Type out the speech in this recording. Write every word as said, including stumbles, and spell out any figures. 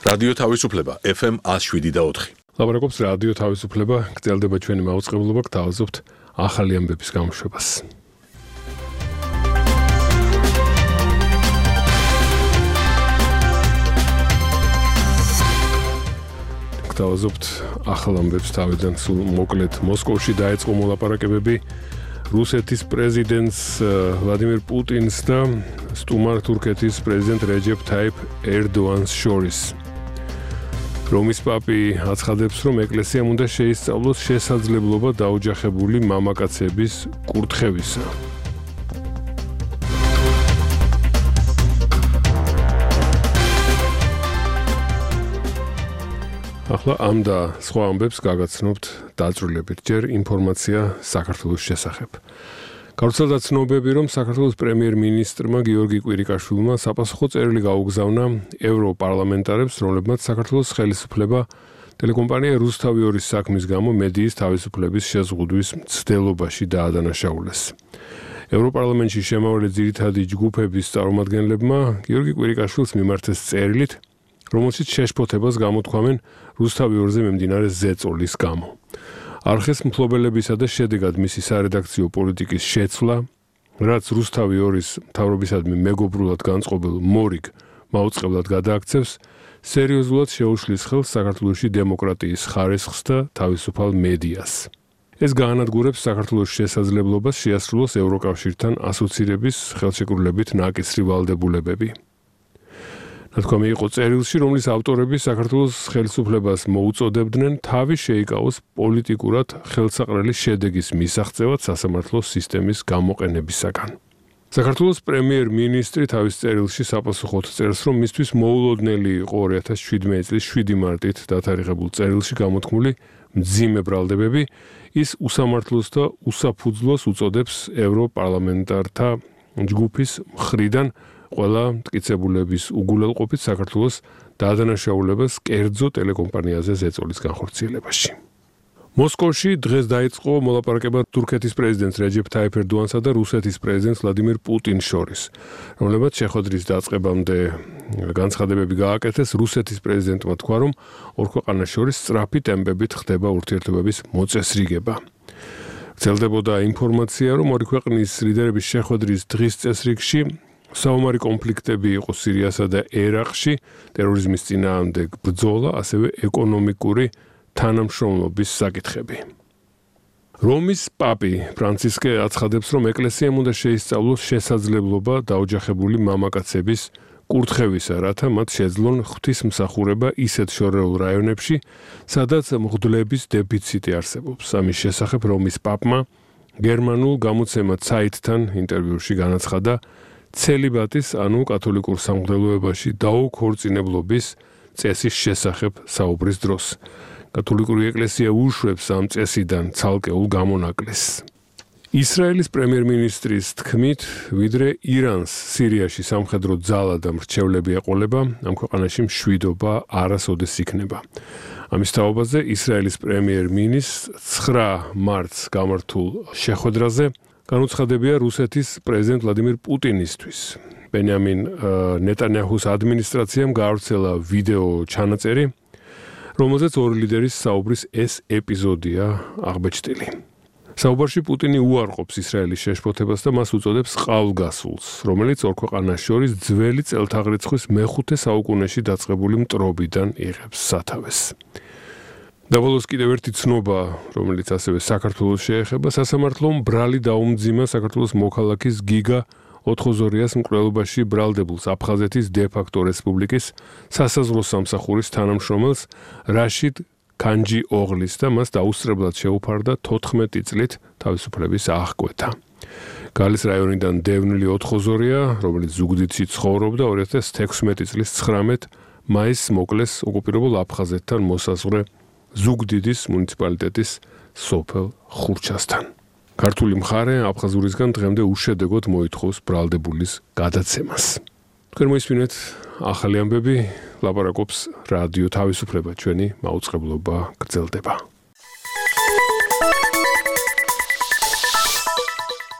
რადიო თავისუფლება F M one oh seven და four. ლაპარაკობს რადიო თავისუფლება, გრძელდება ჩვენი მაუწყებლობა, გთავაზობთ ახალი ამბების გამოშვებას. გთავაზობთ ახალ ამბებს თავიდან სულ მოკლედ. მოსკოვში დაიწყო მოლაპარაკებები რუსეთის პრეზიდენტს ვლადიმირ პუტინს და სტუმარ თურქეთის პრეზიდენტ რეჯეფ თაიფ ერდოანს შორის. რომის პაპი აცხადებს, რომ ეკლესიამ უნდა შეისწავლოს შესაძლებლობა დაოჯახებული მამაკაცების კურთხევისა. ახლა ამ და სხვა ამბებს გაგაცნობთ დაწვრილებით. ჯერ ინფორმაცია საქართველოს შესახებ. გავრცელდა ცნობები, რომ საქართველოს პრემიერ-მინისტრმა გიორგი კვირიკაშვილმა საპასუხო წერილი გაუგზავნა ევროპარლამენტარებს, რომლებმაც საქართველოს ხელისუფლება ტელეკომპანია რუსთავი ორის საქმის გამო მედიის თავისუფლების შეზღუდვის მცდელობაში დაადანაშაულეს. ევროპარლამენტში შემავალი ძირითადი ჯგუფების წარმომადგენლებმა გიორგი კვირიკაშვილს მიმართეს წერილით, რომელშიც შეშფოთებას გამოთქვამენ რუსთავი ორზე მიმდინარე ზეწოლის გამო. არხის მფლობელებისა და შედეგად მისი სარედაქციო პოლიტიკის შეცვლა, რაც რუსთავი ორის მთავრობისადმი მეგობრულად განწყობილ მორიგ მაუწყებლად გადააქცევს, სერიოზულად შეუშლის ხელს საქართველოში დემოკრატიის ხარისხს და თავისუფალ მედიას. ეს გაანადგურებს საქართველოს შესაძლებლობას შეასრულოს ევროკავშირთან ასოცირების ხელშეკრულებით ნაკისრი ვალდებულებები. ნათქვამი იყო წერილში, რომლის ავტორები საქართველოს ხელისუფლებას მოუწოდებდნენ თავი შეიკავოს პოლიტიკურად ხელსაყრელი შედეგის მისაღწევად სასამართლო სისტემის გამოყენებისაგან. საქართველოს პრემიერ-მინისტრი თავის წერილში საპასუხოდ წერს, რომ მისთვის მოულოდნელი იყო ორი ათას შვიდმეტი წლის შვიდი მარტით დათარიღებულ წერილში გამოთქმული მძიმე ბრალდებები, ის უსამართლოს და უსაფუძვლოს უწოდებს ევროპარლამენტართა ჯგუფის მხრიდან ყველა მტკიცებულების უგულელყოფით საქართველოს დაადანაშაულებას კერძო ტელეკომპანიაზე ზეწოლის განხორციელებაში. მოსკოვში დღეს დაიწყო მოლაპარაკება თურქეთის პრეზიდენტ რეჯეფ თაიფ ერდოანსა და რუსეთის პრეზიდენტ ვლადიმირ პუტინს შორის, რომლებმაც შეხვედრის დაწყებამდე განცხადებები გააკეთეს. რუსეთის პრეზიდენტმა თქვა, რომ ორ ქვეყანას შორის სწრაფი ტემპებით ხდება ურთიერთობების მოწესრიგება. გრძელდებოდა ინფორმაცია, რომ ორი ქვეყნის ლიდერების შეხვედრის დღის წესრიგში საომარი კონფლიქტები იყო სირიასა და ერაყში, ტერორიზმის წინააღმდეგ ბრძოლა, ასევე ეკონომიკური თანამშრომლობის საკითხები. რომის პაპი ფრანცისკე აცხადებს, რომ ეკლესიამ უნდა შეისწავლოს შესაძლებლობა დაოჯახებული მამაკაცების კურთხევისა, რათა მათ შეძლონ ღვთისმსახურება ისეთ შორეულ რაიონებში, სადაც მღვდლების დეფიციტი არსებობს. ამის შესახებ რომის პაპმა გერმანულ გამოცემა Zeit-თან ინტერვიუში განაცხადა, ცელიბატის, ანუ კათოლიკურ სამღვდელოებაში დაუქორწინებლობის წესის შესახებ საუბრის დროს. კათოლიკური ეკლესია უშვებს ამ წესიდან ცალკეულ გამონაკლისს. ისრაელის პრემიერ-მინისტრის თქმით, ვიდრე ირანს სირიაში სამხედრო ძალა და მრჩევლები ეყოლება, ამ ქვეყანაში მშვიდობა არასოდეს იქნება. ამის თაობაზე ისრაელის პრემიერ-მინისტრს ცხრა მარტს გამართულ შეხვედრაზე განუცხადებია რუსეთის პრეზიდენტ ვლადიმირ პუტინისთვის. ბენიამინ ნეტანიაჰუს ადმინისტრაციამ გაავრცელა ვიდეო ჩანაწერი, რომელზეც ორი ლიდერის საუბრის ეს ეპიზოდია აღბეჭდილი. საუბარში პუტინი უარყოფს ისრაელის შეშფოთებას და მას უწოდებს ყალვგასულს, რომელიც ორ ქვეყანას შორის ძველი წელთაღრიცხვის მეხუთე საუკუნეში დაწყებული მტრობიდან იღებს სათავეს. დაბოლოს კიდევ ერთი ცნობა, რომელიც ასევე საქართველოს შეეხება, სასამართლომ ბრალი დაუმძიმა საქართველოს მოქალაქის გიგა ოთხოზორიას მკვლელობაში ბრალდებულს აფხაზეთის დე-ფაქტო რესპუბლიკის სასაზღვრო სამსახურის თანამშრომელს რაშიდ კანჯი ოღლის და მას დაუსწრებლად შეუფარდა თოთხმეტი წლით თავისუფლების აღკვეთა. გალის რაიონიდან დევნილი ოთხოზორია, რომელიც ზუგდიდში ცხოვრობდა ორი ათას თექვსმეტი წლის ცხრამეტ მაისს მოკლეს ოკუპირებულ აფხაზეთთან მოსაზღვრე ზუგდიდის მუნიციპალიტეტის სოფელ ხურჩასთან. ქართული მხარე აფხაზურისგან დღემდე უშედეგოდ მოითხოვს ბრალდებულის გადაცემას. თქვენ მოისმინეთ ახალი ამბები, ლაპარაკობს რადიო თავისუფლება, ჩვენი მაუწყებლობა გრძელდება.